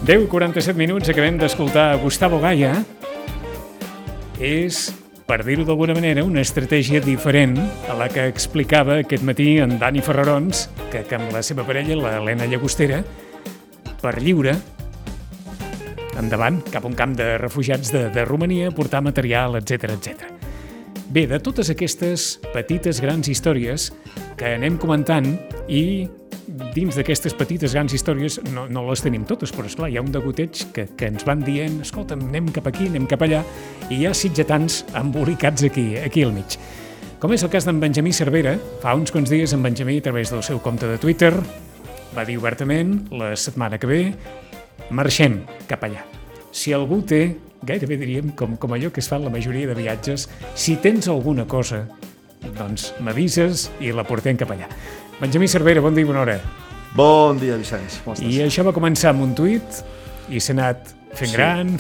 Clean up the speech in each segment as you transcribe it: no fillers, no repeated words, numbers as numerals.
10:47 minuts, acabem d'escoltar Gustavo Gaya. És, per dir-ho d'alguna manera, una estratègia diferent a la que explicava aquest matí en Dani Ferrarons, que amb la seva parella, l'Helena Llagostera, per lliure, endavant, cap a un camp de refugiats de Romania, portar material, etc etc. Bé, de totes aquestes petites grans històries que anem comentant, i dins d'aquestes petites grans històries no les tenim totes, però esclar, hi ha un degoteig que ens van dient, escolta'm, anem cap aquí, anem cap allà, i hi ha sitgetans embolicats aquí al mig. Com és el cas d'en Benjamí Cervera, fa uns quants dies en Benjamí, a través del seu compte de Twitter, va dir obertament, la setmana que ve, marxem cap allà. Si algú té, gairebé diríem, com allò que es fa en la majoria de viatges, si tens alguna cosa, doncs m'avises i la portem cap allà. Benjamí Cervera, bon dia i bona hora. Bon dia, Vicenç. Com estàs? I això va començar amb un tuit i s'ha anat fent gran.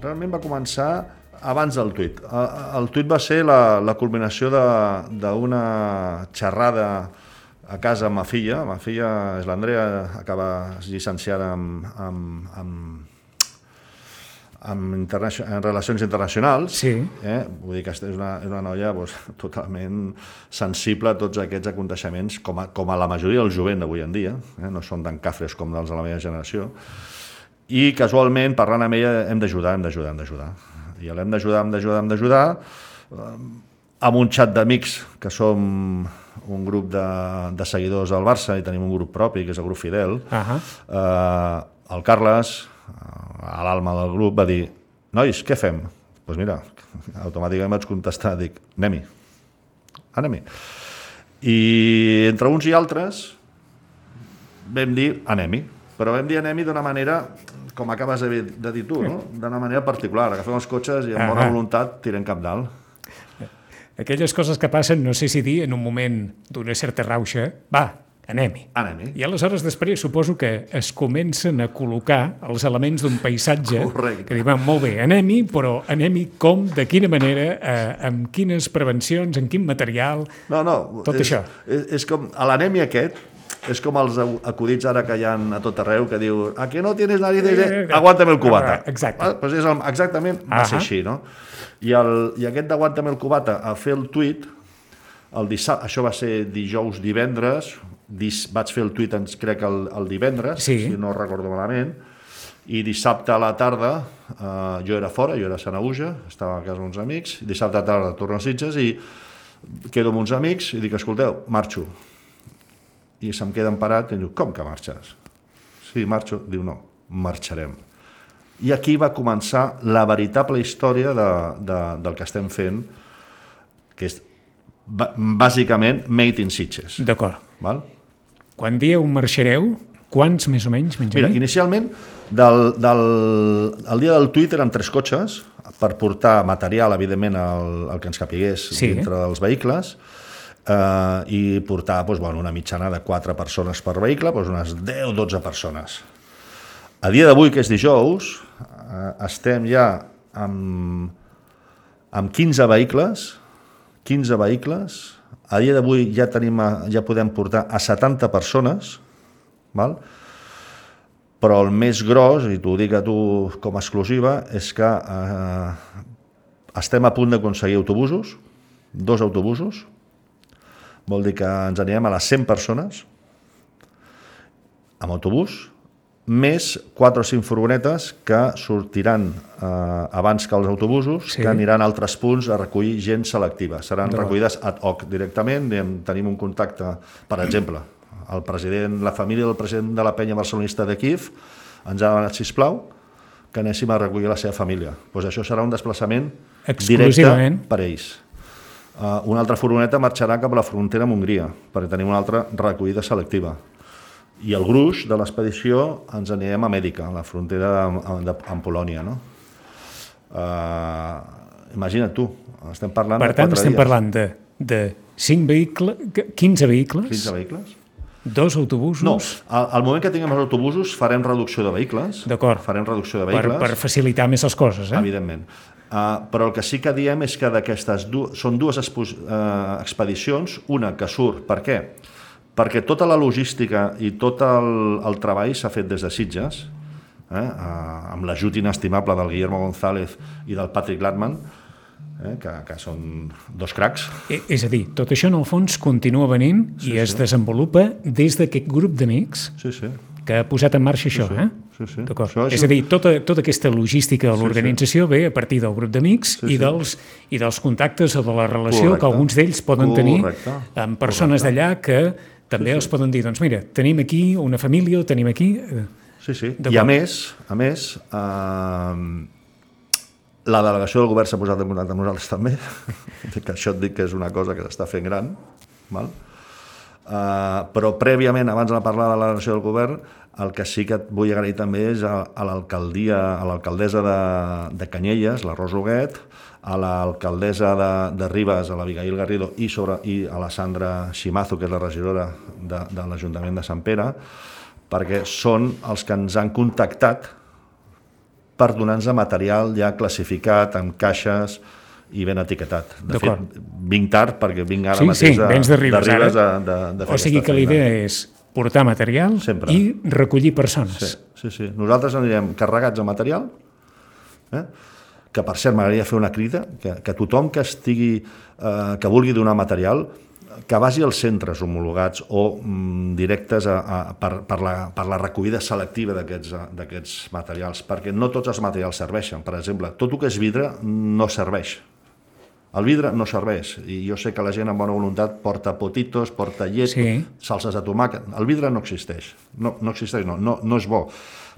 Realment va començar abans del tuit. El tuit va ser la culminació d'una xerrada a casa amb ma filla. Ma filla és l'Andrea, acaba llicenciada en relacions internacionals. Sí. Vull dir que és una noia totalment sensible a tots aquests aconteixements, com a la majoria del jovent d'avui en dia, no són tan cafres com dels de la meva generació, i casualment, parlant amb ella, hem d'ajudar. I l'hem d'ajudar amb un xat d'amics que som un grup de seguidors del Barça i tenim un grup propi, que és el grup Fidel. El Carles, a l'alma del grup, va dir: nois, què fem? Doncs mira, automàticament vaig contestar, dic, anem-hi. I entre uns i altres vam dir anem-hi, però vam dir anem-hi d'una manera, com acabes de dir tu, no? D'una manera particular. Agafem els cotxes i amb bona voluntat tirem cap dalt. Aquelles coses que passen, no sé si dir, en un moment d'una certa rauxa, va, anem-hi. I aleshores després suposo que es comencen a col·locar els elements d'un paisatge. Correcte. Que diuen, molt bé, anem-hi, però anem-hi com, de quina manera, amb quines prevencions, amb quin material, tot això. És com, l'anem-hi aquest, és com els acudits ara que hi ha a tot arreu, que diu, ¿a que no tienes narices? Aguántame el cubata. Exacte. Pues exactament va ser així, no? I aquest d'Aguántame el cubata, a fer el tuit, això va ser divendres, vaig fer el tuit, crec, el divendres, si no recordo malament, i dissabte a la tarda jo era fora, jo era a Sanaüja, estava a casa amb uns amics, dissabte a la tarda torno a Sitges i quedo amb uns amics i dic, escolteu, marxo. I se'm queden parat i diu, com que marxes? Sí, marxo. Diu, no, marxarem. I aquí va començar la veritable història del que estem fent, que és bàsicament Made in Sitges. D'acord. Val? Quan dieu marxareu, quants més o menys, Benjamí? Mira, inicialment, el dia del tuit eren 3 cotxes per portar material, evidentment, el que ens capigués dintre dels vehicles, i portar una mitjana de 4 persones per vehicle, unes 10-12 persones. A dia d'avui, que és dijous, estem ja amb 15 vehicles. A dia d'avui ja podem portar a 70 persones, val? Però el més gros, i t'ho dic a tu com a exclusiva, és que estem a punt d'aconseguir autobusos, 2 autobusos, vol dir que ens anirem a les 100 persones amb autobús, més 4 o 5 furgonetes que sortiran abans que els autobusos, que aniran a altres punts a recollir gent selectiva. Seran recollides ad hoc directament. Tenim un contacte, per exemple, la família del president de la penya barcelonista de Kíev ens ha demanat, sisplau, que anéssim a recollir la seva família. Doncs això serà un desplaçament directe per ells. Una altra furgoneta marxarà cap a la frontera amb Hongria, perquè tenim una altra recollida selectiva. I el gruix de l'expedició ens anirem a Mèdica, a la frontera amb Polònia. Imagina't tu, estem parlant de 4 dies. Per tant, estem parlant de 15 vehicles? 15 vehicles. 2 autobusos? No, al moment que tinguem els autobusos farem reducció de vehicles. D'acord. Farem reducció de vehicles. Per facilitar més les coses, Evidentment. Però el que sí que diem és que d'aquestes són 2 expedicions, una que surt, per què? perquè tota la logística i tot el treball s'ha fet des de Sitges, amb l'ajut inestimable del Guillermo González i del Patrick Latman, que són dos cracs. És a dir, tot això en el fons continua venint i es desenvolupa des d'aquest grup d'amics que ha posat en marxa això, D'acord. És a dir, tota aquesta logística de l'organització ve a partir del grup d'amics i dels contactes o de la relació que alguns d'ells poden tenir amb persones d'allà que també els poden dir, doncs mira, tenim aquí una família o tenim aquí... I a més, la delegació del govern s'ha posat en contacte amb nosaltres també, que això et dic que és una cosa que s'està fent gran, val? Però prèviament, abans de parlar de la delegació del govern, el que sí que et vull agrair també és a l'alcaldessa de Canyelles, la Rosa Huguet, a l'alcaldessa de Ribes, a l'Abigail Garrido, i a la Sandra Ximazo, que és la regidora de l'Ajuntament de Sant Pere, perquè són els que ens han contactat per donar-nos material ja classificat, amb caixes i ben etiquetat. De fet, vinc tard perquè vinc ara mateix de Ribes de fer o sigui que la idea és portar material i recollir persones. Sí. Nosaltres anirem carregats de material, que per cert m'agradaria fer una crida, que tothom que vulgui donar material, que vagi als centres homologats o directes per la recollida selectiva d'aquests materials, perquè no tots els materials serveixen. Per exemple, tot el que és vidre no serveix. El vidre no serveix, i jo sé que la gent amb bona voluntat porta potitos, porta llet, salses de tomàquet. El vidre no existeix, no és bo,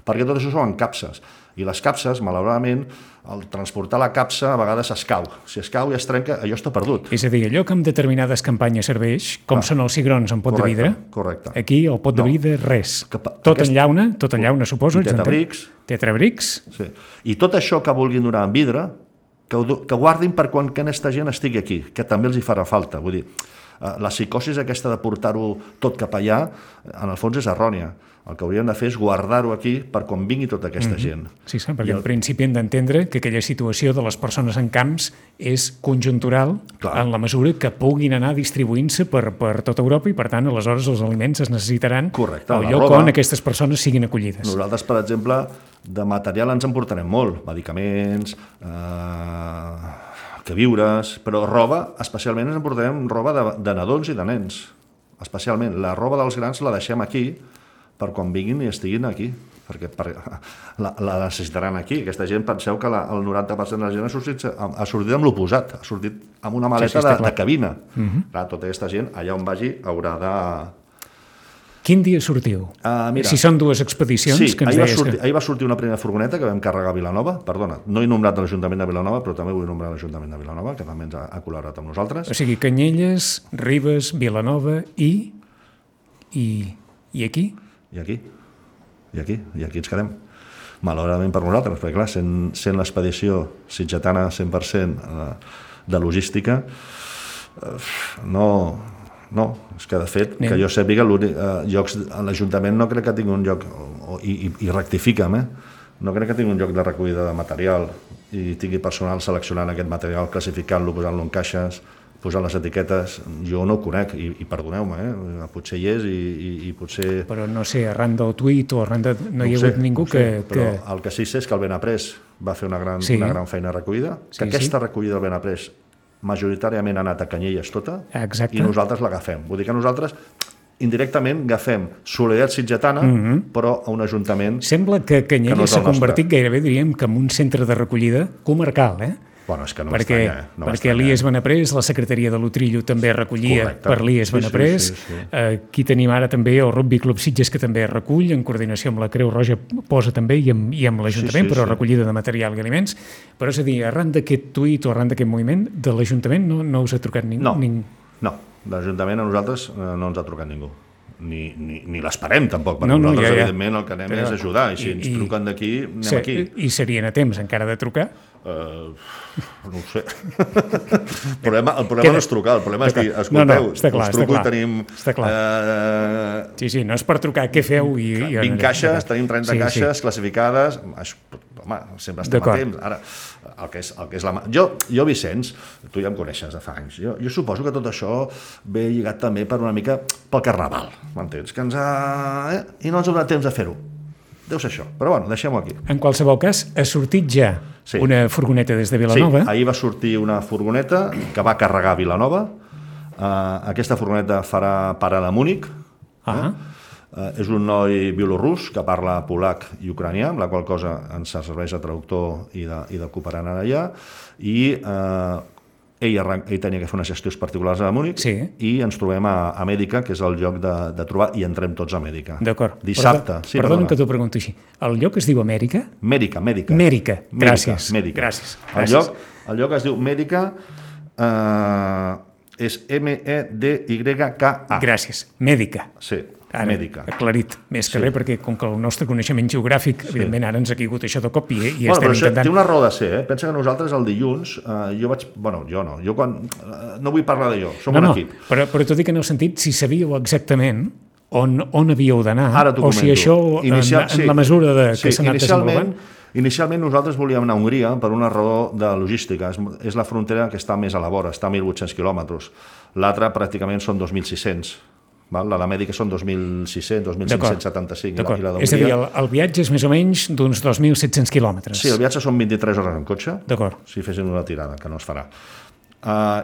perquè tot això són capses. I les capses, malauradament, al transportar la capsa a vegades escau. Si escau i es trenca, allò està perdut. És a dir, allò que en determinades campanyes serveix, com són els cigrons en pot de vidre, aquí el pot de vidre res. Tot en llauna, suposo. Tetrabrics. I tot això que vulguin donar en vidre, que guardin per quan aquesta gent estigui aquí, que també els hi farà falta. Vull dir, la psicosi aquesta de portar-ho tot cap allà, en el fons és errònia. El que hauríem de fer és guardar-ho aquí per quan vingui tota aquesta gent. Sí, perquè en principi hem d'entendre que aquella situació de les persones en camps és conjuntural en la mesura que puguin anar distribuint-se per tota Europa i, per tant, aleshores els aliments es necessitaran al lloc on aquestes persones siguin acollides. Nosaltres, per exemple, de material ens en portarem molt, medicaments, queviures, però roba, especialment ens en portarem roba de nadons i de nens. Especialment, la roba dels grans la deixem aquí per quan vinguin i estiguin aquí, perquè la necessitaran aquí. Aquesta gent, penseu que el 90% de la gent ha sortit amb l'oposat, ha sortit amb una maleta de cabina. Tota aquesta gent, allà on vagi, haurà de... Quin dia sortiu? Si són dues expedicions... Sí, ahir va sortir una primera furgoneta que vam carregar a Vilanova. Perdona, no he nombrat l'Ajuntament de Vilanova, però també vull nombrar l'Ajuntament de Vilanova, que també ens ha col·laborat amb nosaltres. O sigui, Canyelles, Ribes, Vilanova i aquí? I aquí ens quedem. Malauradament per nosaltres, perquè clar, sent l'expedició sitgetana 100% de logística, no, és que de fet, que jo sàpiga, l'Ajuntament no crec que tingui un lloc, i rectifica'm, no crec que tingui un lloc de recollida de material i tingui personal seleccionant aquest material, classificant-lo, posant-lo en caixes, posant les etiquetes, jo no ho conec, i perdoneu-me, potser hi és i potser... Però no sé, arran del tuit o arran de... No hi ha hagut ningú que... Però el que sí sé és que el Benaprés va fer una gran feina de recollida, que aquesta recollida del Benaprés majoritàriament ha anat a Canyelles tota, i nosaltres l'agafem. Vull dir que nosaltres indirectament agafem solidaritat sitgetana, però a un ajuntament... Sembla que Canyelles s'ha convertit gairebé, diríem, que en un centre de recollida comarcal, Bueno, és que no perquè l'IES Benaprés, la secretaria de l'Utrillo també recollia per l'IES Benaprés. Aquí tenim ara també el Rugby Club Sitges, que també recull, en coordinació amb la Creu Roja posa també, i amb l'Ajuntament, però recollida de material i aliments. Però és a dir, arran d'aquest tuit o arran d'aquest moviment, de l'Ajuntament no us ha trucat ningú? No, l'Ajuntament a nosaltres no ens ha trucat ningú. Ni l'esperem tampoc, perquè nosaltres evidentment el que anem és ajudar, i si ens truquen d'aquí, anem aquí. I serien a temps encara de trucar? No ho sé. El problema no és trucar, el problema és dir, escolteu, us truco i tenim... Sí, no és per trucar, què feu? 20 caixes, tenim 30 caixes classificades, home, sempre estem a temps. Ara, el que és la... Jo, Vicenç, tu ja em coneixes de fa anys, jo suposo que tot això ve lligat també per una mica pel carnaval, m'entens? Que i no ens ha donat temps de fer-ho. Deu ser això, però bueno, deixem-ho aquí. En qualsevol cas, ha sortit ja una furgoneta des de Vilanova. Sí, ahir va sortir una furgoneta que va carregar a Vilanova. Aquesta furgoneta farà parada a Múnich. És un noi bielorrus que parla polac i ucranià, amb la qual cosa ens serveix de traductor i de cooperant allà, i ell tenia que fer unes gestions particulars a Múnich, i ens trobem a Mèdica, que és el lloc de trobar, i entrem tots a Mèdica. D'acord. Dissabte. Perdona que t'ho pregunto així. El lloc es diu Amèrica? Mèdica. Mèdica, gràcies. El lloc es diu Mèdica, és M-E-D-Y-K-A. Gràcies, Mèdica. Sí, Mèdica. Aclarit, més que res, perquè com que el nostre coneixement geogràfic, evidentment, ara ens ha caigut això de cop i estem intentant... Té una raó de ser, Pensa que nosaltres el dilluns, no vull parlar de jo, som un equip. Però t'ho dic en el sentit, si sabíeu exactament on havíeu d'anar, o si això, en la mesura que s'ha anat desenvolupant... Inicialment nosaltres volíem anar a Hongria per una raó de logística. És la frontera que està més a la vora, està a 1.800 quilòmetres. L'altra pràcticament són 2.600. La de Mèdica són 2.600, 2.575. És a dir, el viatge és més o menys d'uns 2.700 quilòmetres. Sí, el viatge són 23 hores en cotxe, si fessin una tirada, que no es farà.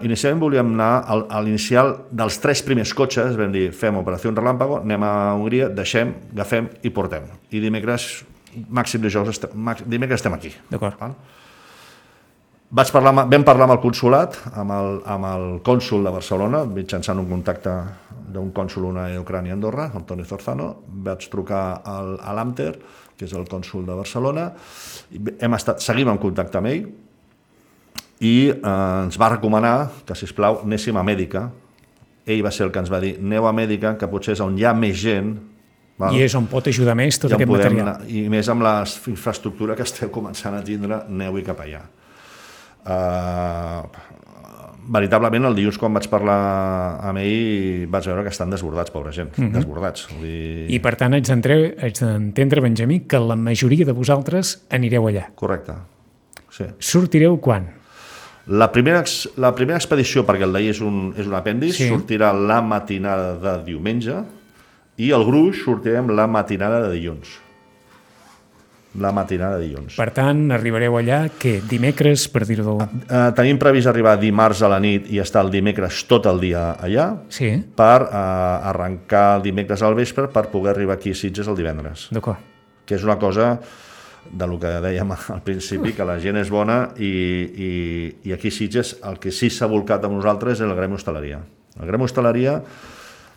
Inicialment volíem anar a l'inicial dels 3 primers cotxes, vam dir, fem operació Relàmpago, anem a Hongria, deixem, agafem i portem. I dimecres estem aquí. D'acord. Vam parlar amb el consulat, amb el cònsul de Barcelona, mitjançant un contacte d'un cònsul Ucrània a Andorra, el Toni Zorzano. Vaig trucar a l'Amter, que és el cònsul de Barcelona, seguim en contacte amb ell, i ens va recomanar que, sisplau, anéssim a Mèdica. Ell va ser el que ens va dir, aneu a Mèdica, que potser és on hi ha més gent. I és on pot ajudar més tot aquest material. I més amb la infraestructura que esteu començant a tindre, aneu-hi cap allà. Veritablement, el dilluns, quan vaig parlar amb ell, vaig veure que estan desbordats, pobra gent, desbordats. I per tant, haig d'entendre, Benjamí, que la majoria de vosaltres anireu allà. Correcte. Sortireu quan? La primera expedició, perquè el d'ahir és un apèndix, sortirà la matinada de diumenge, i el gruix sortirem la matinada de dilluns. Per tant, arribareu allà, dimecres, per dir-ho... Tenim previst arribar dimarts a la nit i estar el dimecres tot el dia allà, per arrencar el dimecres al vespre per poder arribar aquí a Sitges el divendres. D'acord. Que és una cosa del que dèiem al principi, que la gent és bona, i aquí a Sitges el que sí s'ha volcat amb nosaltres és el Gremi Hostaleria. El Gremi Hostaleria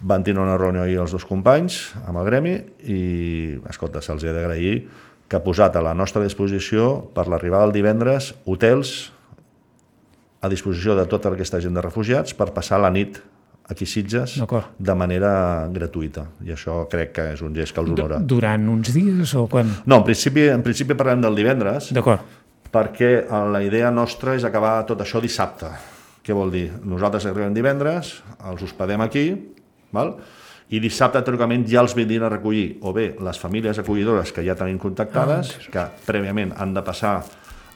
van tenir una reunió ahir els 2 companys amb el Gremi i, escolta, se'ls ha d'agrair que ha posat a la nostra disposició per l'arribada del divendres hotels a disposició de tota aquesta gent de refugiats per passar la nit aquí a Sitges de manera gratuïta. I això crec que és un gest que els honora. Durant uns dies o quan? No, en principi parlem del divendres. D'acord. Perquè la idea nostra és acabar tot això dissabte. Què vol dir? Nosaltres arribem divendres, els hospedem aquí, i dissabte, teòricament, ja els vindrien a recollir o bé les famílies acollidores que ja tenim contactades, que prèviament han de passar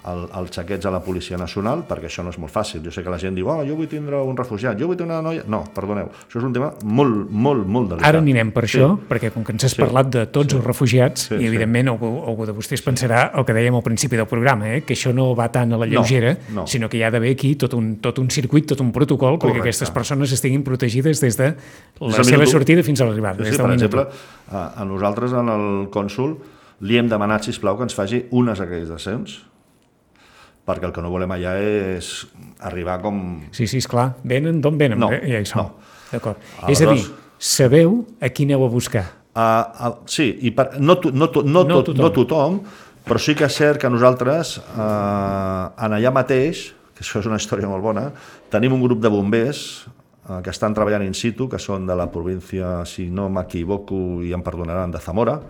els xaquets a la Policia Nacional, perquè això no és molt fàcil. Jo sé que la gent diu, jo vull tindre un refugiat, jo vull tenir una noia... No, perdoneu, això és un tema molt, molt, molt delicat. Ara anirem per això, perquè com que ens has parlat de tots els refugiats, i evidentment algú de vostès pensarà el que dèiem al principi del programa, que això no va tant a la lleugera, sinó que hi ha d'haver aquí tot un circuit, tot un protocol, perquè aquestes persones estiguin protegides des de la seva sortida fins a l'arribada. Per exemple, a nosaltres, en el cònsul, li hem demanat, sisplau, que ens faci unes acreditacions, perquè el que no volem allà és arribar com... Sí, esclar. Venen d'on venen? No. D'acord. És a dir, sabeu a qui aneu a buscar? Sí, i no tothom, però sí que és cert que nosaltres, en allà mateix, que això és una història molt bona, tenim un grup de bombers que estan treballant in situ, que són de la província, si no m'equivoco, i em perdonaran, de Zamora,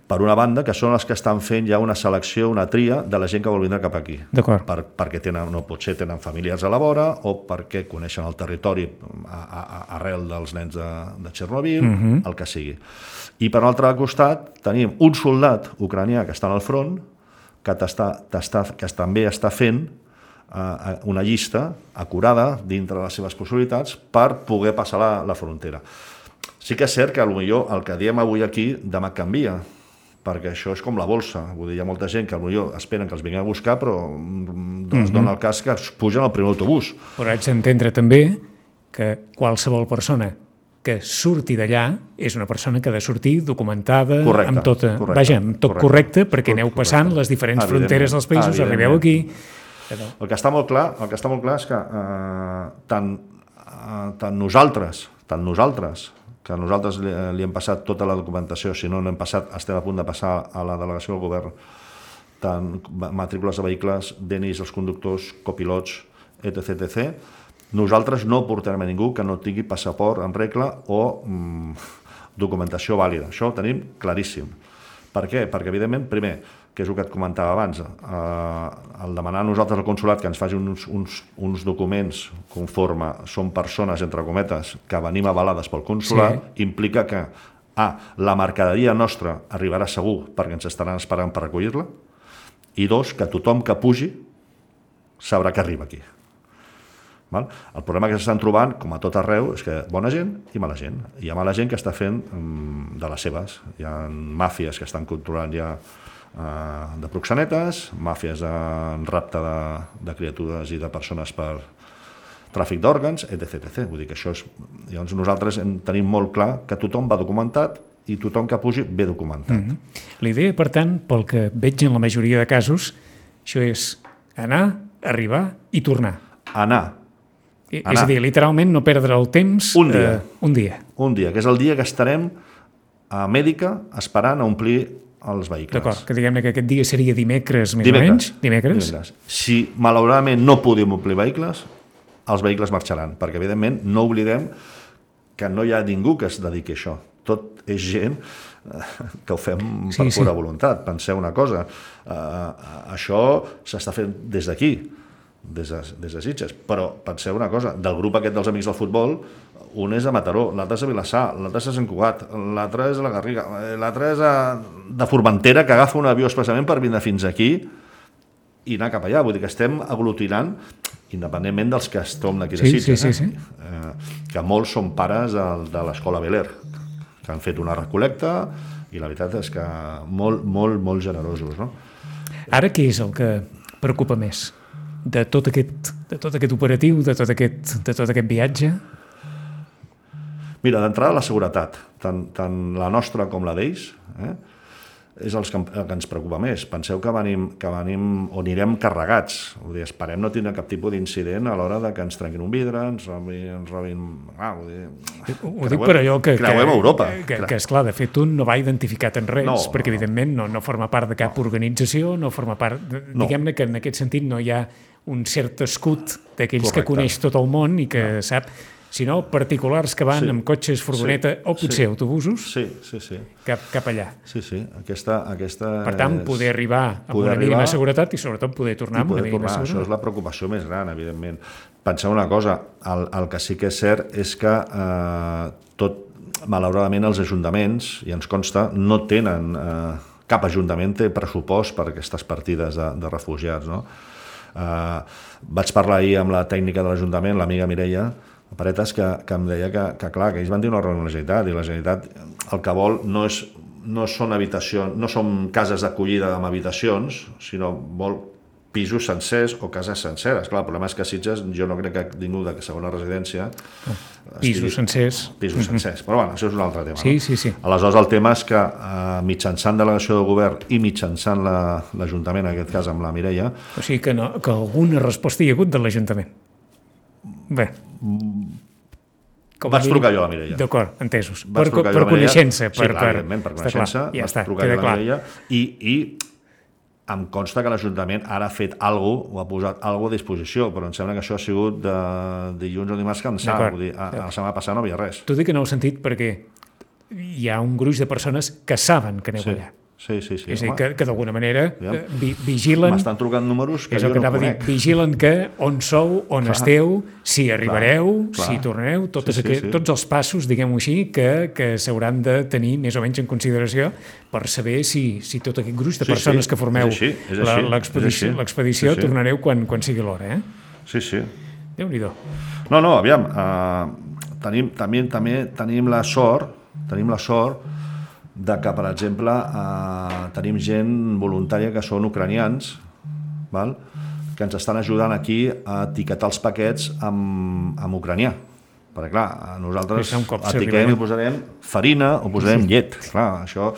per una banda, que són els que estan fent ja una selecció, una tria de la gent que vol vindre cap aquí. D'acord. Perquè potser tenen familiars a la vora o perquè coneixen el territori arrel dels nens de Chernobyl, el que sigui. I per l'altre costat tenim un soldat ucranià que està al front que també està fent una llista acurada dintre de les seves possibilitats per poder passar la frontera. Sí que és cert que potser el que diem avui aquí demà canvia, perquè això és com la bolsa. Vull dir, hi ha molta gent que potser esperen que els vinguin a buscar, però es dona el cas que es pugen al primer autobús. Però haig d'entendre també que qualsevol persona que surti d'allà és una persona que ha de sortir documentada, amb tot correcte, perquè aneu passant les diferents fronteres dels països, arribeu aquí. El que està molt clar és que tant nosaltres que nosaltres li hem passat tota la documentació, si no n'hem passat, estem a punt de passar a la delegació del govern, tant matrícules de vehicles, DNIs dels conductors, copilots, etc. Nosaltres no portarem a ningú que no tingui passaport en regla o documentació vàlida. Això ho tenim claríssim. Per què? Perquè, evidentment, primer, que és el que et comentava abans, el demanar a nosaltres al consulat que ens faci uns documents conforme són persones, entre cometes, que venim avalades pel consulat, implica que, la mercaderia nostra arribarà segur perquè ens estaran esperant per recollir-la, i dos, que tothom que pugi sabrà que arriba aquí. El problema que s'estan trobant, com a tot arreu, és que bona gent i mala gent. Hi ha mala gent que està fent de les seves. Hi ha màfies que estan controlant ja de proxenetes, màfies en rapte de criatures i de persones per tràfic d'òrgans, etc. Vull dir que això és... Llavors nosaltres tenim molt clar que tothom va documentat i tothom que pugi ve documentat. La idea, per tant, pel que veig en la majoria de casos, això és anar, arribar i tornar. Anar. És a dir, literalment no perdre el temps... Un dia. Un dia, que és el dia que estarem a Mèdica esperant a omplir els vehicles. D'acord, que diguem que aquest dia seria dimecres, més o menys? Dimecres. Si malauradament no podem omplir vehicles, els vehicles marxaran, perquè evidentment no oblidem que no hi ha ningú que es dediqui a això. Tot és gent que ho fem per pura voluntat. Penseu una cosa, això s'està fent des d'aquí, des de Sitges, però penseu una cosa, del grup aquest dels Amics del Futbol, un és a Mataró, l'altre és a Vilassar, l'altre és a Sant Cugat, l'altre és a la Garriga, l'altre és de Formentera, que agafa un avió expressament per vindre fins aquí i anar cap allà. Vull dir que estem aglutinant, independentment dels que estem d'aquí de Sitges, que molts són pares de l'escola Bel Air, que han fet una recolecta i la veritat és que molt generosos. No? Ara què és el que preocupa més de tot aquest operatiu, de tot aquest viatge? Mira, d'entrada la seguretat, tant la nostra com la d'ells, és el que ens preocupa més. Penseu que venim o anirem carregats. Esperem no tindre cap tipus d'incident a l'hora de que ens trenquin un vidre, ens robin... Ho dic per allò que... Creuem Europa. Que esclar, de fet, un no va identificat en res, perquè evidentment no forma part de cap organització, no forma part... Diguem-ne que en aquest sentit no hi ha un cert escut d'aquells que coneix tot el món i que sap... sinó particulars que van amb cotxes, furgoneta o potser autobusos cap allà. Per tant, poder arribar amb una mínima seguretat i sobretot poder tornar amb una mínima seguretat. Això és la preocupació més gran, evidentment. Penseu una cosa, el que sí que és cert és que malauradament els ajuntaments, i ens consta, no tenen cap ajuntament té pressupost per aquestes partides de refugiats. Vaig parlar ahir amb la tècnica de l'Ajuntament, l'amiga Mireia Paretes, que em deia que clar, que ells van dir una reunió amb la Generalitat, i la Generalitat el que vol no són habitacions, no són cases d'acollida amb habitacions, sinó vol pisos sencers o cases senceres. Clar, el problema és que a Sitges jo no crec que ningú de segona residència... Pisos sencers. Però bueno, això és un altre tema. Sí. Aleshores, el tema és que mitjançant delegació del govern i mitjançant l'Ajuntament, en aquest cas amb la Mireia... O sigui que alguna resposta hi ha hagut de l'Ajuntament. Bé. Vaig trucar jo a la Mireia. D'acord, entesos. Per coneixença. Sí, clar, evidentment, per coneixença. Vaig trucar jo a la Mireia i em consta que l'Ajuntament ara ha fet alguna cosa, o ha posat alguna cosa a disposició, però em sembla que això ha sigut de dilluns o dimarts que em sap. Vull dir, la setmana passada no hi havia res. T'ho dic que no ho he sentit perquè hi ha un gruix de persones que saben que aneu allà. Sí. És a dir, que d'alguna manera vigilen... M'estan trucant números que és el jo que no anava a dir, conec. vigilen que on sou, on esteu, si arribareu, clar. si tornareu, tots els passos, diguem-ho així, que s'hauran de tenir més o menys en consideració per saber si tot aquest gruix de persones que formeu l'expedició tornareu quan sigui l'hora, Sí. Déu-n'hi-do. No, aviam, tenim la sort de que, per exemple, tenim gent voluntària que són ucranians, val? Que ens estan ajudant aquí a etiquetar els paquets amb ucranià. Perquè, clar, nosaltres etiquetem i posarem farina o posarem llet. Clar, això,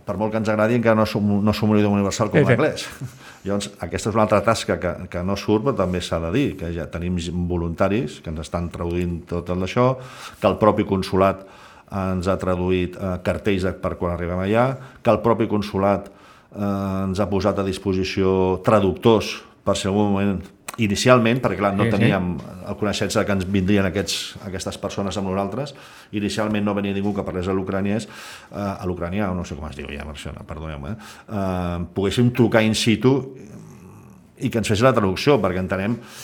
per molt que ens agradi, encara no som un idioma universal com l'anglès. Llavors, aquesta és una altra tasca que no surt, però també s'ha de dir, que ja tenim voluntaris que ens estan traduint tot això, que el propi consolat ens ha traduït cartells per quan arribem allà, que el propi consolat ens ha posat a disposició traductors per si en algun moment, inicialment, perquè clar, no teníem el coneixença que ens vindrien aquestes persones amb nosaltres, inicialment no venia ningú que parlés a l'ucranià, no sé com es diu ja, perdoneu-me, poguéssim trucar in situ i que ens fes la traducció, perquè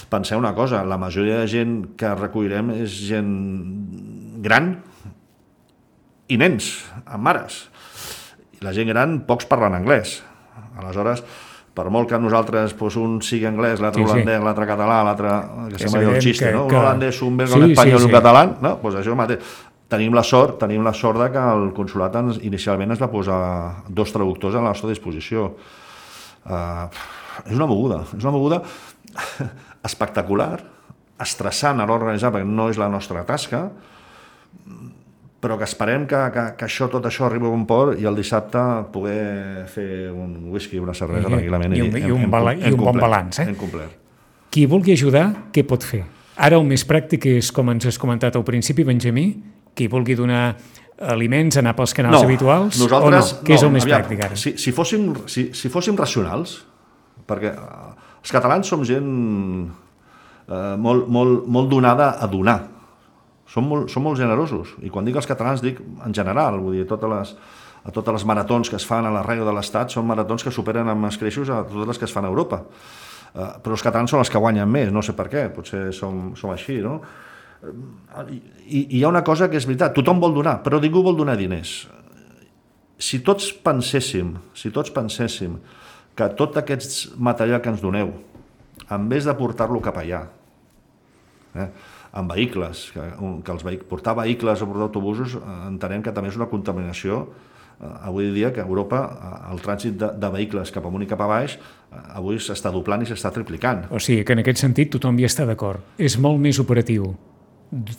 penseu una cosa, la majoria de gent que recollirem és gent gran i nens, amb mares. I la gent gran, pocs parlen anglès. Aleshores, per molt que nosaltres un sigui anglès, l'altre holandès, l'altre català, l'altre, que sembla el xiste, no? Un holandès, un belga, un espanyol i un català, no? Doncs això mateix. Tenim la sort de que el consolat inicialment es va posar 2 traductors a la nostra disposició. És una moguda espectacular, estressant a l'hora d'organitzar, perquè no és la nostra tasca, però que esperem que tot això arribi a un port i el dissabte poder fer un whisky, una cervesa tranquil·lament i un bon balanç. Hem complert. Qui vulgui ajudar, què pot fer? Ara el més pràctic és, com ens has comentat al principi, Benjamí, qui vulgui donar aliments, anar pels canals habituals, o no? Què és el més pràctic ara? Si fóssim racionals, perquè els catalans som gent molt donada a donar, som molt generosos, i quan dic els catalans dic en general, vull dir, a totes les maratons que es fan a l'arreu de l'Estat són maratons que superen amb escreixos a totes les que es fan a Europa, però els catalans són els que guanyen més, no sé per què, potser som així, no? I hi ha una cosa que és veritat, tothom vol donar, però ningú vol donar diners. Si tots penséssim que tot aquest material que ens doneu, en vez de portar-lo cap allà, amb vehicles, portar vehicles o portar autobusos, entenem que també és una contaminació. Avui dia que a Europa el trànsit de vehicles cap amunt i cap a baix avui s'està doblant i s'està triplicant. O sigui que en aquest sentit tothom hi està d'acord. És molt més operatiu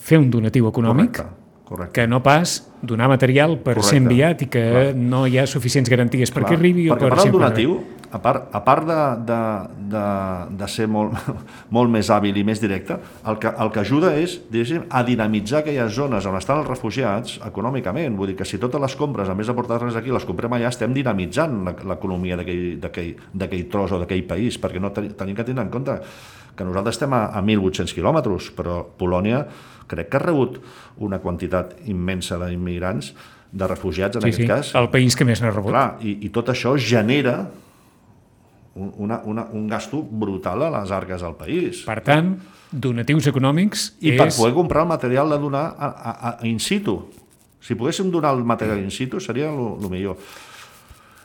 fer un donatiu econòmic que no pas donar material per ser enviat i que no hi ha suficients garanties perquè arribi o per ser donatiu. A part de ser molt més hàbil i més directe, el que ajuda és a dinamitzar aquelles zones on estan els refugiats econòmicament. Vull dir que si totes les compres, a més de portar-les aquí, les comprem allà, estem dinamitzant l'economia d'aquell tros o d'aquell país, perquè no tenim que tenir en compte que nosaltres estem a 1.800 quilòmetres, però Polònia crec que ha rebut una quantitat immensa d'immigrants, de refugiats en aquest cas. El país que més n'ha rebut. Clar, i tot això genera un gasto brutal a les arques del país. Per tant, donatius econòmics per poder comprar el material de donar in situ. Si poguéssim donar el material in situ seria el millor.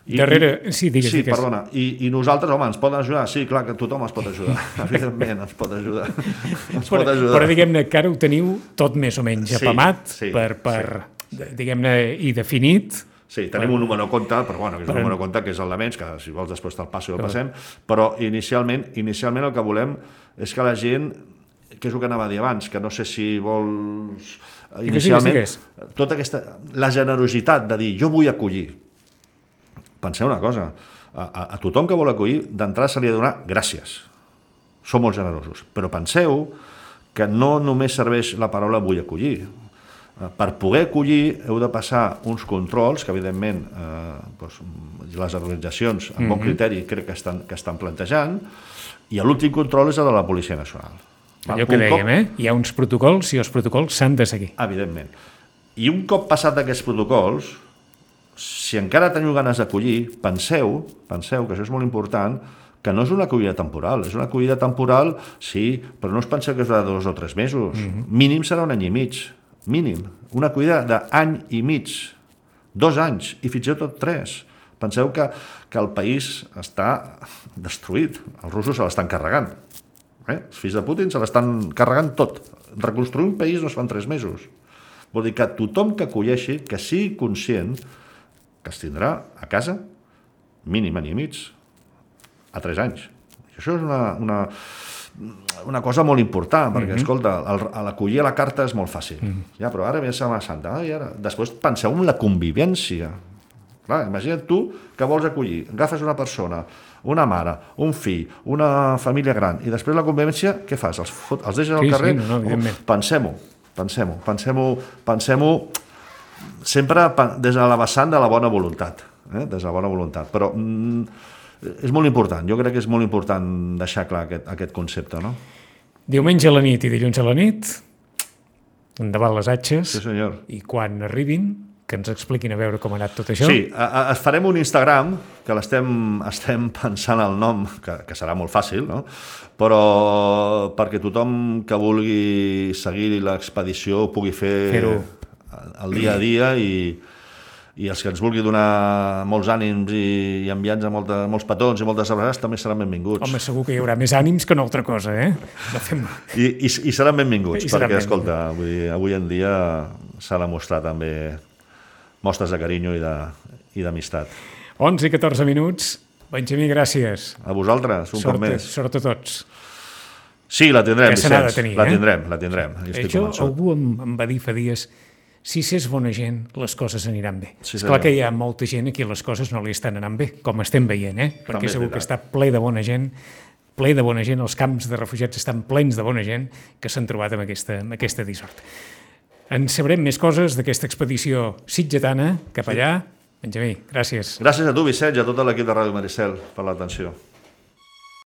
Digues. Perdona. I nosaltres, home, ens poden ajudar? Sí, clar que tothom ens pot ajudar. Evidentment, ens pot ajudar. Però diguem-ne que ara ho teniu tot més o menys apamat diguem-ne, i definit. Sí, tenim un número de compte, però que és un número de compte que és el de menys, que si vols després te'l passo i el passem, però inicialment el que volem és que la gent, que és el que anava a dir abans, que no sé si vols... Inicialment, tota la generositat de dir, jo vull acollir. Penseu una cosa, a tothom que vol acollir, d'entrada se li ha de donar gràcies. Som molt generosos, però penseu que no només serveix la paraula vull acollir. Per poder acollir heu de passar uns controls que evidentment les organitzacions amb bon criteri crec que estan plantejant, i l'últim control és el de la Policia Nacional. Allò que dèiem, hi ha uns protocols i els protocols s'han de seguir. Evidentment. I un cop passat aquests protocols, si encara teniu ganes d'acollir, penseu que això és molt important, que no és una acollida temporal. És una acollida temporal, sí, però no us penseu que és de 2 o 3 mesos. Mínim serà 1 any i mig. Mínim. Una acollida d'any i mig. 2 anys, i fins i tot 3. Penseu que el país està destruït. Els russos se l'estan carregant. Els fills de Putin se l'estan carregant tot. Reconstruir un país no es fa en 3 mesos. Vol dir que tothom que acolleixi, que sigui conscient que es tindrà a casa mínim any i mig, a 3 anys. I això és una cosa molt important, perquè, escolta, l'acollir a la carta és molt fàcil. Ja, però ara ve Setmana Santa. Després penseu en la convivència. Clar, imagina't tu que vols acollir, agafes una persona, una mare, un fill, una família gran, i després la convivència, què fas? Els deixes al carrer? Pensem-ho sempre des de la vessant de la bona voluntat. Des de la bona voluntat. Però és molt important, jo crec que és molt important deixar clar aquest concepte, no? Diumenge a la nit i dilluns a la nit, endavant les atxes. Sí, senyor. I quan arribin, que ens expliquin a veure com ha anat tot això. Sí, farem un Instagram, que estem pensant el nom, que serà molt fàcil, no? Però perquè tothom que vulgui seguir l'expedició pugui fer el dia a dia i els que ens vulgui donar molts ànims i enviar-nos molts petons i moltes abraçades també seran benvinguts. Home, segur que hi haurà més ànims que una altra cosa, I seran benvinguts, perquè, escolta, avui en dia s'ha de mostrar també mostres de carinyo i d'amistat. 11 i 14 minuts. Benjamí, gràcies. A vosaltres, un cop més. Sort a tots. Sí, la tindrem, Vicenç. La tindrem. Això algú em va dir fa dies, si s'és bona gent, les coses aniran bé. Sí, és clar que hi ha molta gent a qui les coses no li estan anant bé, com estem veient, perquè segur que està ple de bona gent, els camps de refugiats estan plens de bona gent que s'han trobat amb aquesta dissort. En sabrem més coses d'aquesta expedició sitgetana cap allà. Benjamí, gràcies. Gràcies a tu, Vicenç, i a tot l'equip de Ràdio Maricel per l'atenció.